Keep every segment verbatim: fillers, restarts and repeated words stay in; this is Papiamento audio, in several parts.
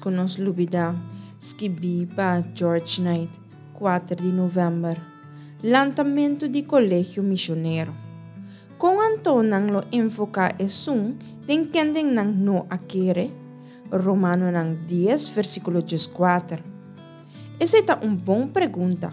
ku nos lubidá, skibí pa George Knight, kuater di novèmber. Lantamentu di Kolegio Misionero. Kon anto nan lo invoká esun den kende nan no a kere? Romanonan dies, versíkulo dieskuater. Esei ta un bon pregunta.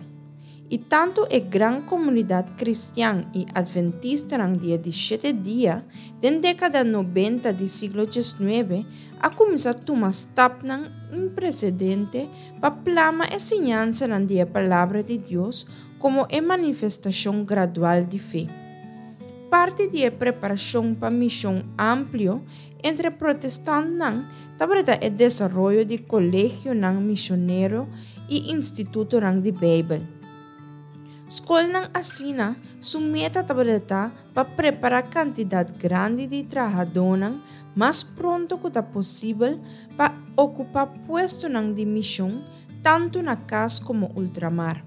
I tantu e gran komunidat kristian i atventistanan di e di shete dia den dékada nobenta di siglo diesnuebe a kuminsá tuma stapnan impresedente pa plama e siñansanan di e Palabra di Dios komo e manifestashon gradual di fe. Parti di e preparashon pa mishon amplio entre protestantnan tabata e desaroyo di kolegionan misionero i institutonan di Beibel. Skolnan asina su meta tabata pa prepará kantidat grandi di trahadónan mas pronto ku ta posibel pa okupá puestonan di mishon tantu na kas komo ultramar.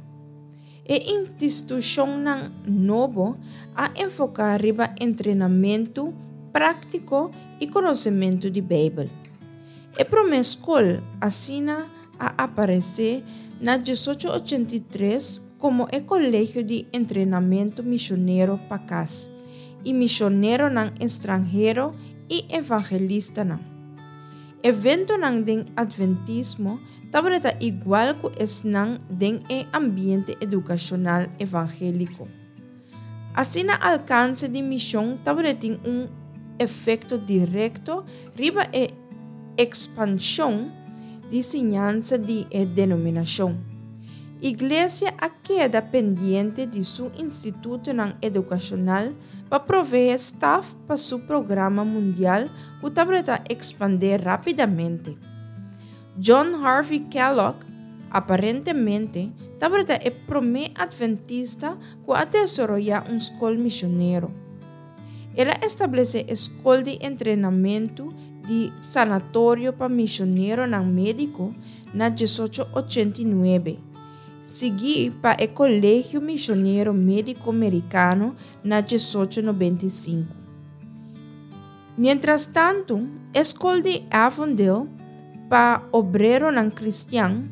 E institushonnan nobo a enfoká riba entrenamentu práktiko i konosementu di Beibel. E promé skol asina a aparesé na diesocho ochenta i tres komo e Kolegio di Entrenamentu Misionero pa Kas i Misioneronan Estranhero i Evangelistanan. Eventonan den Adventismo tabata igual ku esnan den e ambiente edukashonal evangéliko. Asina alkanse di mishon tabatin un efekto direkto riba e ekspanshon di siñansa di e denominashon. Iglesia a keda pendiente di su institutonan edukashonal pa proveé staf pa su programa mundial ku tabata ekspandé rápidamente. John Harvey Kellogg aparentemente tabata e promé adventista ku a desaroyá un skol misionero. El a establesé e Skol di Entrenamentu di Sanatorio pa Misioneronan Médiko na diesocho ochenta i nuebe, siguí pa e Kolegio Misionero Médiko Merikano na diesocho nobenta i sinku. Miéntras tantu, e Skol di Avondale pa Obreronan Kristian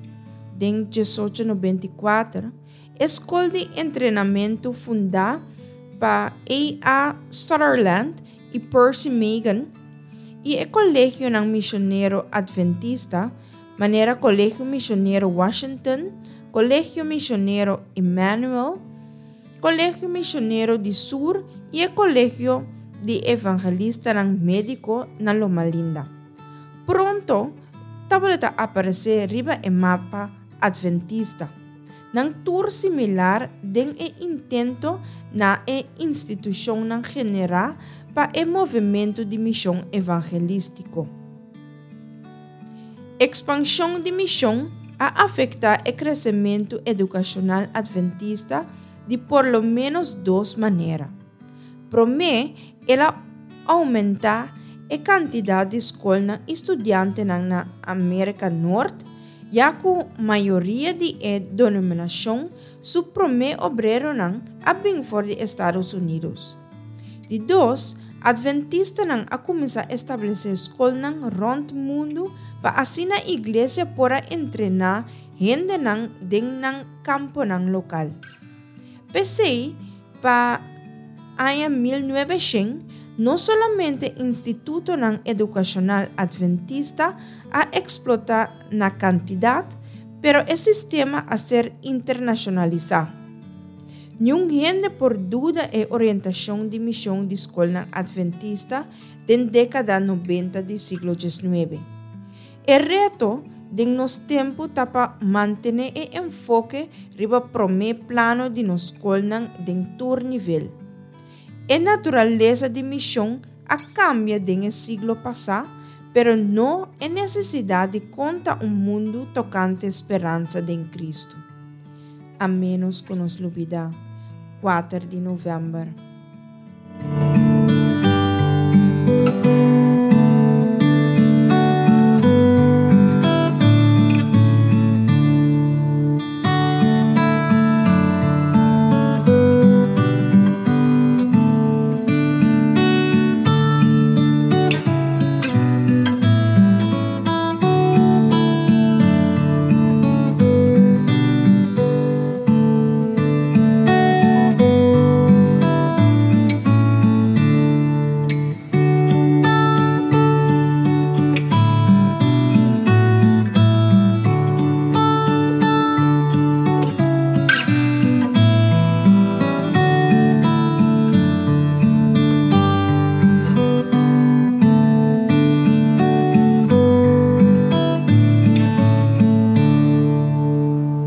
den diesocho nobenta i kuater, e skol di entrenamentu fundá pa A. A. Sutherland i Percy Magan, i e kolegionan misionero adventista, manera Kolegio Misionero Washington, Kolegio Misionero Emmanuel, Kolegio Misionero di Sur i e Kolegio di Evangelistanan Médiko na Loma Linda. Pronto tabata aparesé riba e mapa adventista. Nan tur similar den e intento na e institushonnan generá pa e movementu di mishon evangelístiko. Ekspanshon di mishon a afektá e kresementu edukashonal adventista di por lo ménos dos manera. Promé, el a oumentá e kantidat di skolnan i studiantenan na Amérika Nort, ya ku mayoria di e denominashon su promé obreronan a bin for di Estados Unidos. Di dos, adventistanan a kuminsá establesé skolnan rònt mundu pa asina iglesia por a entrená hendenan den nan kamponan lokal. P'esei, pa aña mil nuebeshen, no solamente institutonan edukashonal adventista a eksplotá na kantidat, pero e sistema a ser internashonalisá. Niun hende por duda e orientashon di mishon di skolnan adventista den dékada nobenta di siglo diesnuebe. E reto den nos tempu ta pa mantené e enfoke riba promé plano di nos skolnan den tur nivel. E naturalesa di mishon a kambia den e siglo pasá, pero no e nesesidat di konta un mundu tokante speransa den Kristu. A ménos ku nos lubidá, kuater di novèmber.